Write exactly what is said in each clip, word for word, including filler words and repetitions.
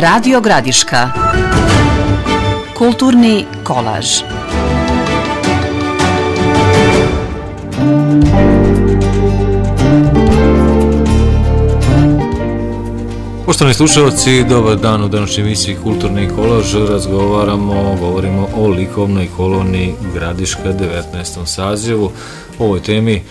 Radio Gradiška. Kulturni kolaž. Poštovani slušalci, dobar dan u današnjoj emisiji Kulturni kolaž. Razgovaramo, govorimo o likovnoj koloniji Gradiška devetnaestom sazivu. O ovoj temi e,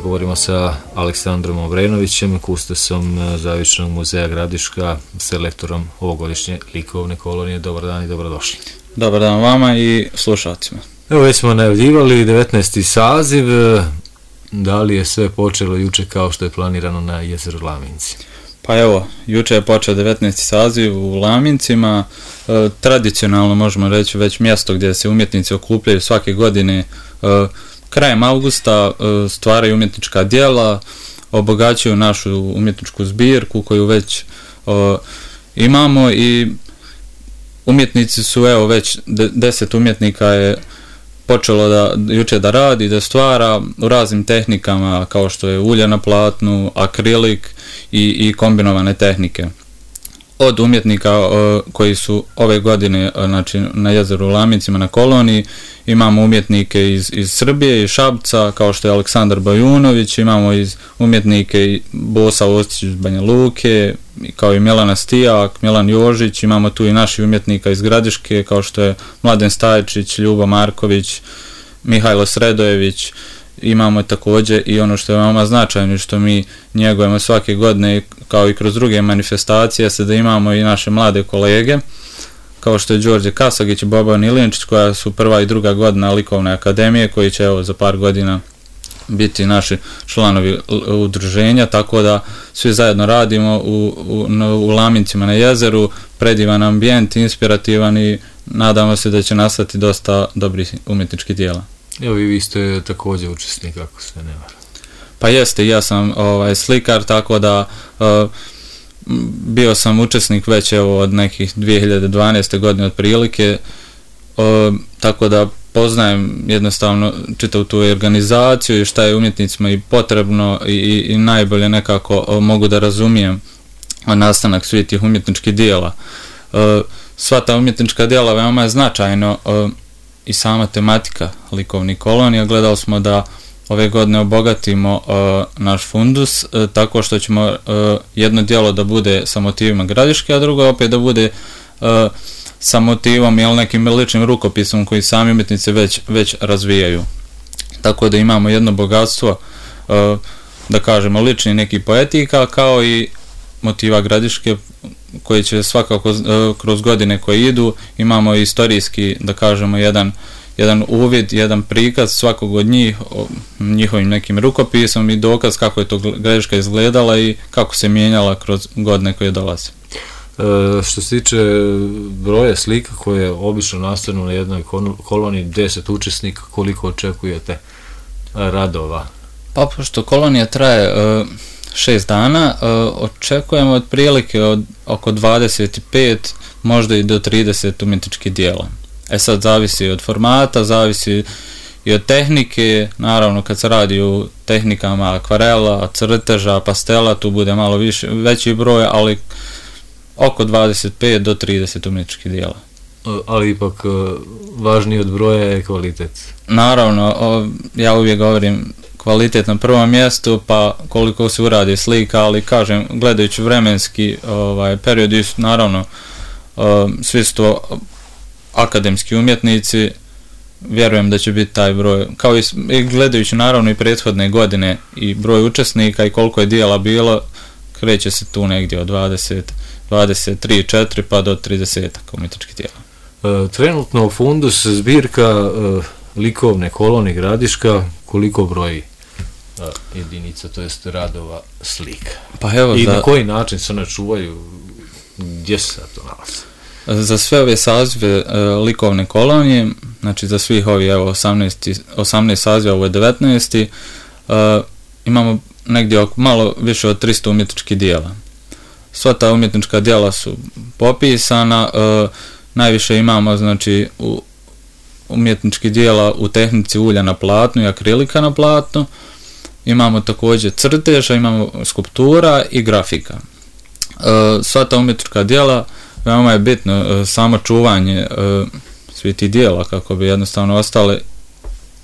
govorimo sa Aleksandrom Obrenovićem, kustosom Zavičnog muzeja Gradiška, selektorom ovogodišnje likovne kolonije. Dobar dan i dobrodošli. Dobar dan vama i slušalcima. Evo, već smo najavljivali devetnaesti saziv. Da li je sve počelo juče kao što je planirano na jezeru Laminci? Pa evo, juče je počeo devetnaesti saziv u Lamincima, e, tradicionalno možemo reći već mjesto gdje se umjetnici okupljaju svake godine. E, krajem augusta e, stvaraju umjetnička djela, obogaćuju našu umjetničku zbirku koju već e, imamo i umjetnici su, evo već de, deset umjetnika je počelo da juče da radi, da stvara u raznim tehnikama kao što je ulje na platnu, akrilik i, i kombinovane tehnike. Od umjetnika o, koji su ove godine znači, na jezeru Lamincima na koloniji, imamo umjetnike iz, iz Srbije, iz Šapca, kao što je Aleksandar Bajunović, imamo iz umjetnike Bosa Ostić iz Banja Luke, kao i Milana Stijak, Milan Jožić, imamo tu i naši umjetnika iz Gradiške, kao što je Mladen Stajčić, Ljuba Marković, Mihajlo Sredojević. Imamo također i ono što je veoma značajno, što mi njegujemo svake godine, kao i kroz druge manifestacije, se da imamo i naše mlade kolege, kao što je Đorđe Kasagić i Boban Ilinčić, koja su prva i druga godina likovne akademije, koji će evo za par godina biti naši članovi udruženja, tako da svi zajedno radimo u, u, u Lamincima na jezeru, predivan ambijent, inspirativan i nadamo se da će nastati dosta dobrih umjetničkih dijela. Evo i vi ste također učesnik, ako se ne varam. Pa jeste, ja sam ovaj, slikar, tako da uh, bio sam učesnik već evo od nekih dvije hiljade dvanaeste. godine otprilike, uh, tako da poznajem jednostavno čitavu tu organizaciju i šta je umjetnicima i potrebno i, i, i najbolje nekako uh, mogu da razumijem nastanak svih tih umjetničkih dijela. Uh, sva ta umjetnička dijela veoma je značajno uh, i sama tematika likovnih kolonija. Gledali smo da ove godine obogatimo uh, naš fundus uh, tako što ćemo uh, jedno djelo da bude sa motivima Gradiške, a drugo opet da bude uh, sa motivom ili nekim ličnim rukopisom koji sami umjetnici već, već razvijaju. Tako da imamo jedno bogatstvo, uh, da kažemo, lični neki poetika kao i motiva Gradiške koji će svakako uh, kroz godine koje idu. Imamo istorijski, da kažemo, jedan jedan uvid, jedan prikaz svakog od njih, o njihovim nekim rukopisom i dokaz kako je to Gradiška izgledala i kako se mijenjala kroz godine koje dolaze. E, što se tiče broja slika koje obično nastanu na jednoj koloniji, deset učesnika, koliko očekujete radova? Pa pošto kolonija traje e, šest dana, e, očekujemo otprilike od oko dvadeset pet, možda i do trideset umjetničkih dijela. E sad zavisi od formata, zavisi i od tehnike, naravno kad se radi o tehnikama akvarela, crteža, pastela, tu bude malo više, veći broj, ali oko dvadeset pet do trideset umjetničkih dijela. Ali ipak važniji od broja je kvalitet. Naravno, o, ja uvijek govorim kvalitet na prvom mjestu, pa koliko se uradi slika, ali kažem, gledajući vremenski ovaj, period, naravno, o, svi su to akademski umjetnici, vjerujem da će biti taj broj, kao i, i gledajući naravno i prethodne godine i broj učesnika i koliko je dijela bilo, kreće se tu negdje od dvadeset, dvadeset tri, četiri pa do trideset umjetničkih dijela. E, trenutno fundus zbirka e, likovne kolonije Gradiška koliko broji e, jedinica, to jest radova slika? Pa evo, i za... na koji način se one čuvaju, gdje se to nalazi? Za sve ove sazive e, likovne kolonije, znači za svih ovih evo osamnaest, osamnaest saziva, ovo je devetnaesti. E, imamo negdje malo više od tristo umjetničkih dijela. Sva ta umjetnička dijela su popisana, e, najviše imamo znači u umjetničkih dijela u tehnici ulja na platnu i akrilika na platnu. Imamo također crteža, imamo skulptura i grafika. E, sva ta umjetnička dijela veoma je bitno uh, samo čuvanje uh, svih tih dijela kako bi jednostavno ostale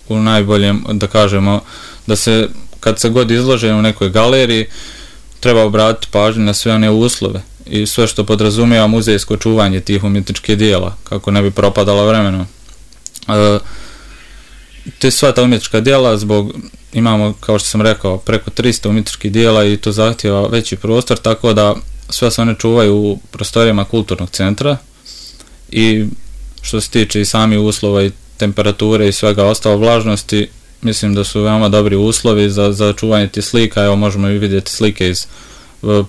u najboljem, da kažemo, da se kad se god izlože u nekoj galeriji treba obratiti pažnju na sve one uslove i sve što podrazumijeva muzejsko čuvanje tih umjetničkih dijela kako ne bi propadala vremenom. Uh, te sva ta umjetnička dijela zbog, imamo kao što sam rekao preko tristo umjetničkih dijela i to zahtjeva veći prostor, tako da sve se one čuvaju u prostorijama kulturnog centra i što se tiče i sami uslova i temperature i svega ostalo vlažnosti, mislim da su veoma dobri uslovi za, za čuvanje tih slika. Evo možemo i vidjeti slike iz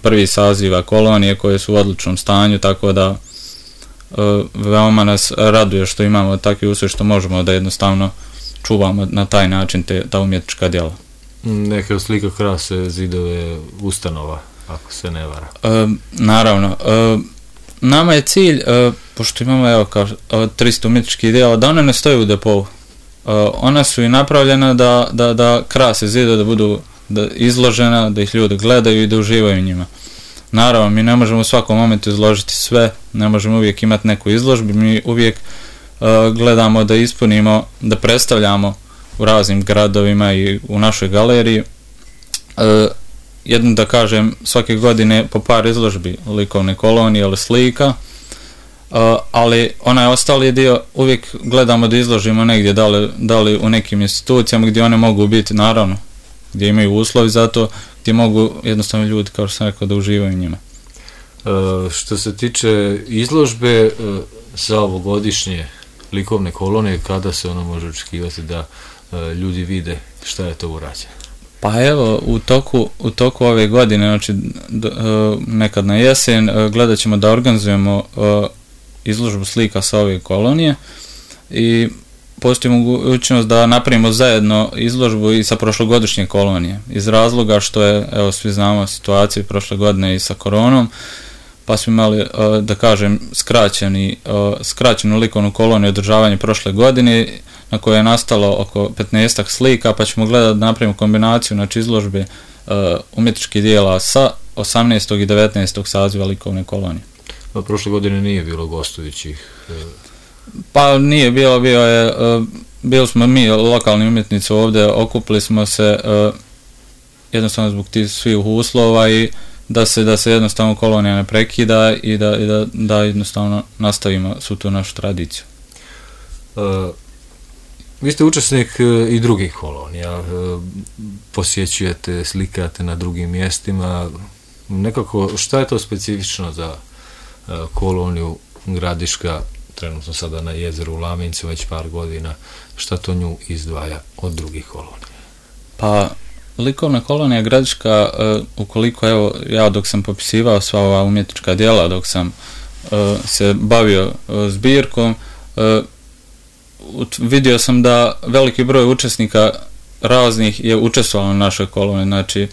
prvih saziva kolonije koje su u odličnom stanju, tako da veoma nas raduje što imamo takvi uslovi što možemo da jednostavno čuvamo na taj način te, ta umjetnička djela. Neke od slika krase zidove ustanova, ako se ne vara. E, naravno. E, nama je cilj, e, pošto imamo evo kao tristo umjetničkih djela, da one ne stoje u depou. E, ona su i napravljena da, da, da krase zidove, da budu da izložena, da ih ljudi gledaju i da uživaju njima. Naravno, mi ne možemo u svakom momentu izložiti sve, ne možemo uvijek imati neku izložbu, mi uvijek uh, gledamo da ispunimo, da predstavljamo u raznim gradovima i u našoj galeriji. Uh, jedno da kažem, svake godine po par izložbi likovne kolonije ili slika, uh, ali onaj ostali dio uvijek gledamo da izložimo negdje, da li, da li u nekim institucijama gdje one mogu biti, naravno, gdje imaju uslovi za to, gdje mogu jednostavno ljudi, kao što sam rekao, da uživaju njima. E, što se tiče izložbe e, za ovogodišnje likovne kolonije, kada se ono može očekivati da e, ljudi vide šta je to urađeno? Pa evo, u toku, u toku ove godine, znači d, e, nekad na jesen, e, gledat ćemo da organizujemo e, izložbu slika sa ove kolonije i postoji mogućnost da napravimo zajedno izložbu i sa prošlogodišnje kolonije. Iz razloga što je, evo svi znamo situaciju prošle godine i sa koronom, pa smo imali, da kažem, skraćeni, skraćenu likovnu koloniju održavanje prošle godine, na kojoj je nastalo oko petnaestak slika, pa ćemo gledati da napravimo kombinaciju, znači izložbe umjetničkih dijela sa osamnaestog i devetnaestog saziva likovne kolonije. A prošle godine nije bilo gostujućih? Pa nije bilo, bio je, uh, bili smo mi lokalni umjetnici ovdje, okupili smo se uh, jednostavno zbog tih svih uslova i da se, da se jednostavno kolonija ne prekida i da, i da, da jednostavno nastavimo svu tu našu tradiciju. Uh, vi ste učesnik uh, i drugih kolonija, uh, posjećujete, slikate na drugim mjestima, nekako šta je to specifično za uh, koloniju Gradiška, trenutno sada na jezeru u Lamincu već par godina, šta to nju izdvaja od drugih kolonija? Pa, likovna kolonija Gradiška, uh, ukoliko evo, ja dok sam popisivao sva ova umjetnička djela, dok sam uh, se bavio uh, zbirkom, uh, vidio sam da veliki broj učesnika raznih je učestvovalo na našoj koloniji, znači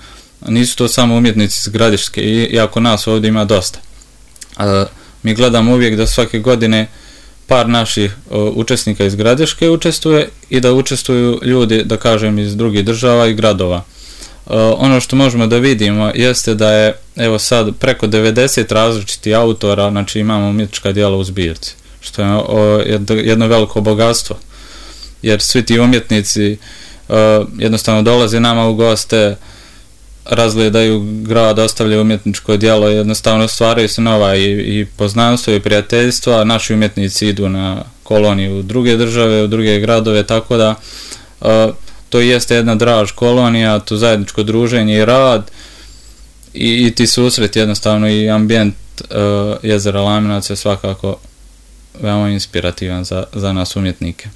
nisu to samo umjetnici iz Gradiške, iako nas ovdje ima dosta. Uh, mi gledamo uvijek da svake godine par naših uh, učesnika iz Gradiške učestvuje i da učestvuju ljudi, da kažem, iz drugih država i gradova. Uh, ono što možemo da vidimo jeste da je, evo sad, preko devedeset različitih autora, znači imamo umjetnička djela u zbirci, što je uh, jedno, jedno veliko bogatstvo, jer svi ti umjetnici uh, jednostavno dolaze nama u goste, razgledaju grad, ostavljaju umjetničko djelo, jednostavno stvaraju se nova i, i poznanstvo i prijateljstva, a naši umjetnici idu na koloniju u druge države, u druge gradove, tako da uh, to jeste jedna draž kolonija, to zajedničko druženje i rad i, i ti susret jednostavno i ambijent uh, jezera Laminac je svakako veoma inspirativan za, za nas umjetnike.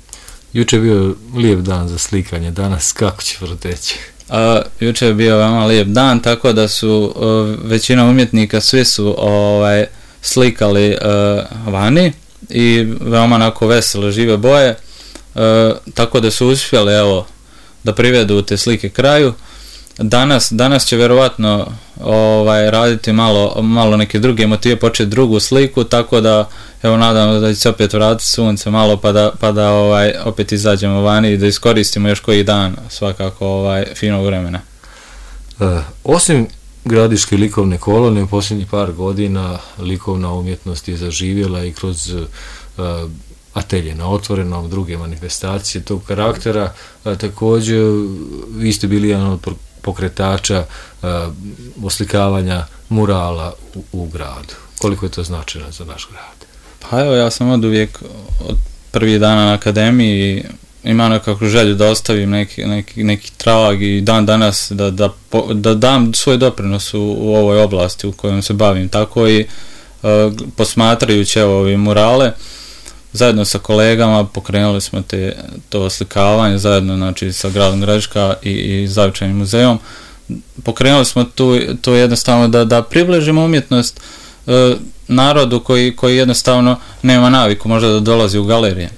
Juče je bio lijep dan za slikanje, danas kako će proteći? A, juče je bio veoma lijep dan, tako da su uh, većina umjetnika, svi su ovaj, slikali uh, vani i veoma onako vesele, žive boje, uh, tako da su uspjeli evo, da privedu te slike kraju. Danas, danas će vjerovatno ovaj, raditi malo, malo neke druge motive, početi drugu sliku, tako da evo nadam da će se opet vratiti sunce malo pa da, pa da ovaj, opet izađemo vani i da iskoristimo još koji dan svakako ovaj, finog vremena. Uh, osim Gradiške likovne kolonije u posljednjih par godina likovna umjetnost je zaživjela i kroz uh, atelje na otvorenom, druge manifestacije tog karaktera. A, također, vi ste bili jedan od pokretača a, oslikavanja murala u, u gradu. Koliko je to značajno za naš grad? Pa evo, ja sam od uvijek, od prvih dana na akademiji, imam nekakvu želju da ostavim neki, neki, neki trag i dan danas da, da, da dam svoj doprinos u, u ovoj oblasti u kojom se bavim. Tako i uh, posmatrajući evo ove murale, zajedno sa kolegama pokrenuli smo te, to oslikavanje, zajedno znači sa gradom Gradiška i, i Zavičajnim muzejom. Pokrenuli smo tu, tu jednostavno da, da približimo umjetnost uh, narodu koji, koji jednostavno nema naviku možda da dolazi u galerije.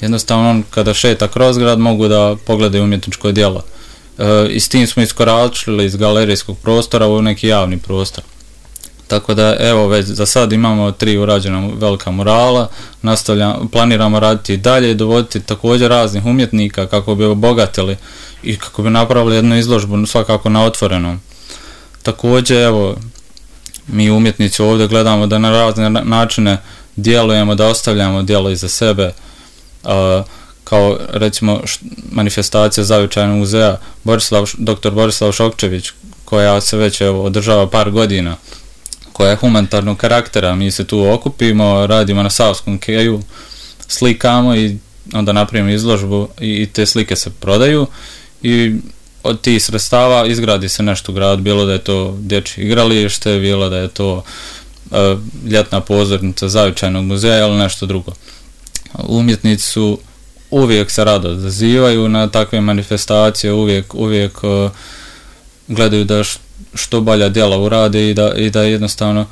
Jednostavno on kada šeta kroz grad mogu da pogledaju umjetničko djelo. E, I s tim smo iskoračili iz galerijskog prostora u neki javni prostor. Tako da evo već za sad imamo tri urađena velika murala, nastavljamo, planiramo raditi i dalje i dovoditi također raznih umjetnika kako bi obogatili i kako bi napravili jednu izložbu svakako na otvorenom. Također evo mi umjetnici ovdje gledamo da na razne načine djelujemo, da ostavljamo djelo iza sebe. Uh, kao recimo š, manifestacija Zavičajnog muzeja Borislav, doktor Borislav Šokčević, koja se već evo, održava par godina, koja je humanitarnog karaktera. Mi se tu okupimo, radimo na Savskom keju, slikamo i onda napravimo izložbu i, i te slike se prodaju i od tih sredstava izgradi se nešto u gradu, bilo da je to dječje igralište, bilo da je to uh, ljetna pozornica Zavičajnog muzeja ili nešto drugo. Umjetnici su uvijek se rado odazivaju na takve manifestacije, uvijek, uvijek uh, gledaju da š, što bolja djela urade i da, i da jednostavno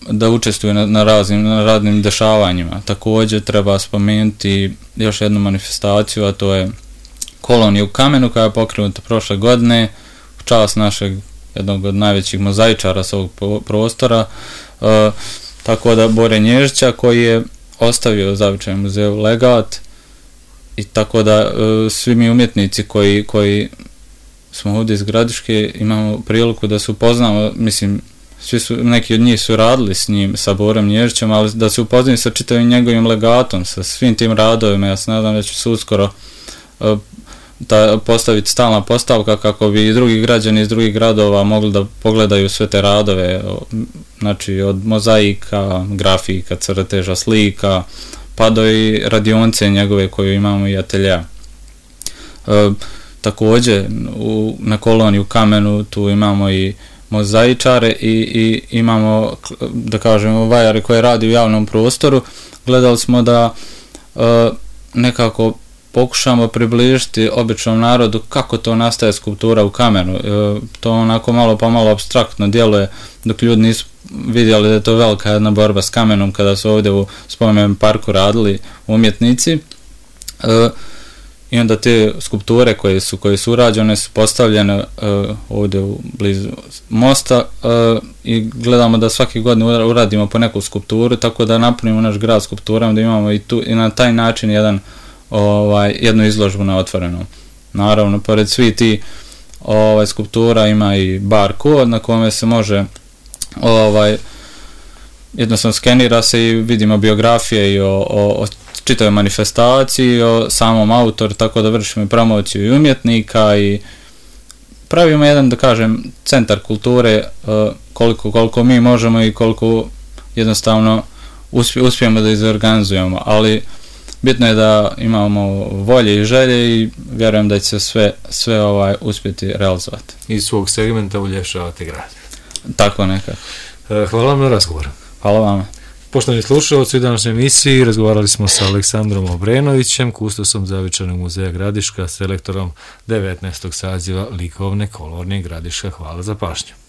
da učestvuju na, na, raznim, na raznim dešavanjima. Također treba spomenuti još jednu manifestaciju, a to je kolonija u kamenu koja je pokrenuta prošle godine u čast našeg jednog od najvećih mozaičara s ovog prostora, uh, tako da Bore Nježića koji je ostavio Zavičajnom muzeju legat i tako da uh, svi mi umjetnici koji, koji smo ovdje iz Gradiške imamo priliku da se upoznamo, mislim, svi su, neki od njih su radili s njim, sa Borem Nježićem, ali da se upoznaju sa čitavim njegovim legatom, sa svim tim radovima. Ja se nadam da će se uskoro uh, da postaviti stalna postavka kako bi i drugi građani iz drugih gradova mogli da pogledaju sve te radove, znači od mozaika, grafika, crteža, slika, pa do i radionce njegove koju imamo i atelja. E, također u, na koloniji u kamenu tu imamo i mozaičare i, i imamo, da kažemo, vajare koje radi u javnom prostoru. Gledali smo da e, nekako pokušamo približiti običnom narodu kako to nastaje skulptura u kamenu. E, to onako malo pa malo apstraktno djeluje dok ljudi nisu vidjeli da je to velika jedna borba s kamenom kada su ovdje u spomenom parku radili umjetnici. E, I onda te skulpture koje su, koje su urađene su postavljene e, ovdje u blizu mosta e, i gledamo da svake godine uradimo po neku skulpturu, tako da napunimo naš grad skulpturama, da imamo i, tu, i na taj način jedan ovaj, jednu izložbu na otvorenom. Naravno, pored svi ti ovaj, skulptura ima i bar kod na kome se može ovaj, jednostavno skenira se i vidimo biografije i o, o, o čitavoj manifestaciji, o samom autoru, tako da vršimo i promociju i umjetnika i pravimo jedan, da kažem, centar kulture uh, koliko, koliko mi možemo i koliko jednostavno uspije, uspijemo da izorganizujemo, ali bitno je da imamo volje i želje i vjerujem da će sve, sve ovaj uspjeti realizovati. Iz svog segmenta uljepšavate grad. Tako nekako. Hvala vam na razgovor. Hvala vama. Poštovani slušalci, u današnjoj emisiji razgovarali smo sa Aleksandrom Obrenovićem, kustosom Zavičajnog muzeja Gradiška, selektorom devetnaestog saziva likovne kolonije Gradiška. Hvala za pažnju.